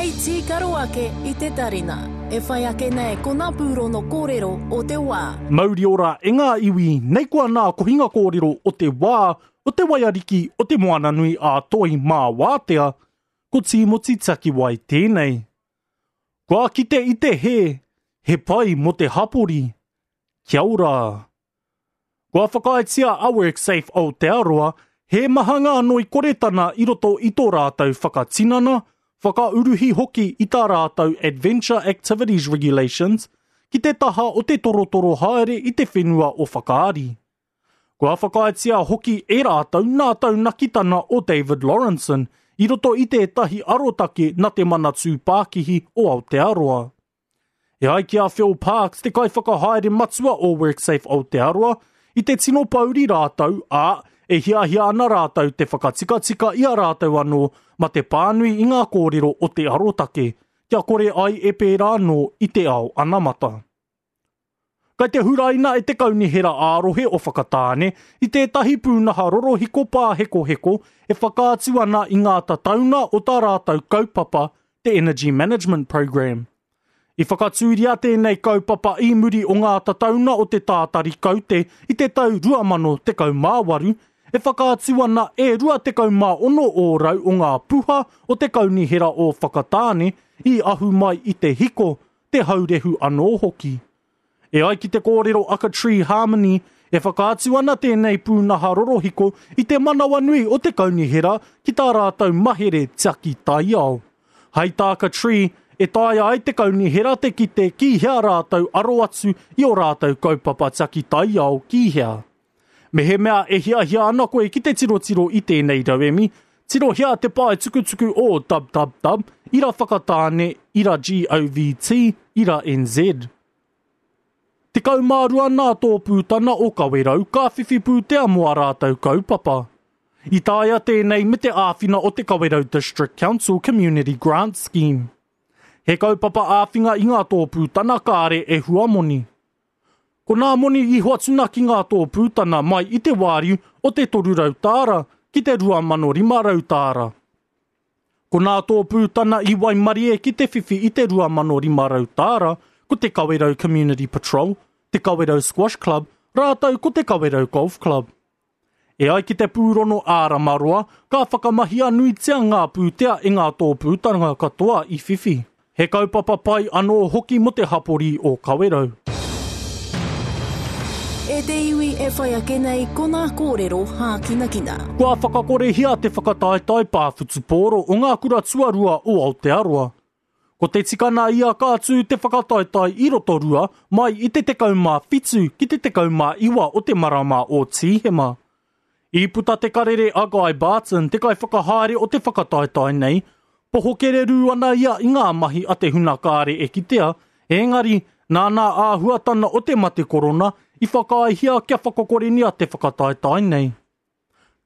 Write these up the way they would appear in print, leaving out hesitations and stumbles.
Hei tīkaro ake i te tarina. E whai ake nei ko ngā pūrono kōrero o te wā. Mauri ora e ngā iwi, nei koa nā kohinga kōrero o te wā, o te waiariki o te Moananui a Toi mā Wātea, ko Tīmoti Takiwai tēnei. Kua kite i te hē, he pai mō te hapori. Kia ora. Kua whakaaetia a WorkSafe Aotearoa he maha ngā noikoretana i roto i tō rātou whakatinana, whakauruhi hoki i tā rātou Adventure Activities Regulations ki te taha o te torotoro haere i te whenua o Whakaari. Kua whakaaetia hoki e rātou nā taunakitana o David Lawrenson i roto i tētahi arotake na Te Manatū Pākihi o Aotearoa. E ai ki a Phil Parks, te kaiwhakahaere matua o WorkSafe Aotearoa, i te tino pouri rātou, ā, e hiahia ana rātou te whakatikatika i a rātou anō ma te pānui i ngā kōrero o te arotake, kia kore ai e pērā anō i te ao anamata. Kai te huraina e te Kaunihera ā-Rohe o Whakatāne i tētahi pūnaha rorohiko pāhekoheko e whakaatu ana i ngā tataunga o tā rātou kaupapa, te Energy Management Programme. I whakatūria tēnei kaupapa i muri o ngā tataunga o te tātari kaute i te tau 2018, e whakaatu ana e 26 ōrau o ngā puha o te Kaunihera o Whakatāne i ahu mai i te hiko, te haurehu anō hoki. E ai ki te kōrero a Katree Harmony, e whakaatu ana tēnei pūnaha rorohiko i te manawanui o te kaunihera ki tā rātou mahere tiaki taiao. Hai tā Katree, e taea ai te kaunihera te kite ki hea rātou aro atu i ō rātou kaupapa tiaki taiao ki hea. Mehemea e hiahia ana koe ki te tirotiro i tēnei rauemi, tirohia te pae tukutuku o www ira whakatāne ira govt ira nz. 12 nā tōpūtana o Kawerau ka whiwhi pūtea mō ā rātou kaupapa. I taea tēnei me te āwhina o te Kawerau District Council Community Grant Scheme. He kaupapa āwhinga i ngā tōpūtana kāre e huamoni. Ko nā moni i hoatuna ki ngā tōpūtana mai i te wāriu o te 300 tāra ki te 2,500 tāra. Ko nā tōpūtana i waimarie ki te whiwhi i te 2,500 tāra ko te Kawerau Community Patrol, te Kawerau Squash Club rātou ko te Kawerau Golf Club. E ai ki te pūrono ā-Ramaroa, ka whakamahia nuitia ngā pūtea e ngā tōpūtanga katoa i whiwhi. He kaupapa pai anō hoki mō te hapori o Kawerau. E te iwi e whai ake nei ko ngā kōrero hākinakina. Kua whakakorehia te whakataetae pā whutupōro o ngā kura tuarua o Aotearoa. Ko te tikana ia ka tū te whakataetae i Rotorua mai i te 17 ki te 19 o te marama o Tīhema. I puta te karere a Guy Barton, te kaiwhakahaere o te whakataetae nei, poho kererū ana ia i ngā mahi a te huna kāre e kitea, ēngari, nā nā āhuatana o te mate korona i whakaaehia kia whakakorenia te whakataetae nei.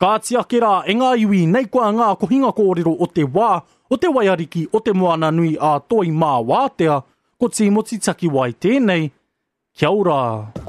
Kāti ake rā e ngā iwi nei koa ngā kohinga kōrero o te wā, o te waiariki o te Moana nui a Toi mā Wātea, ko Tīmoti Takiwai tēnei, kia ora!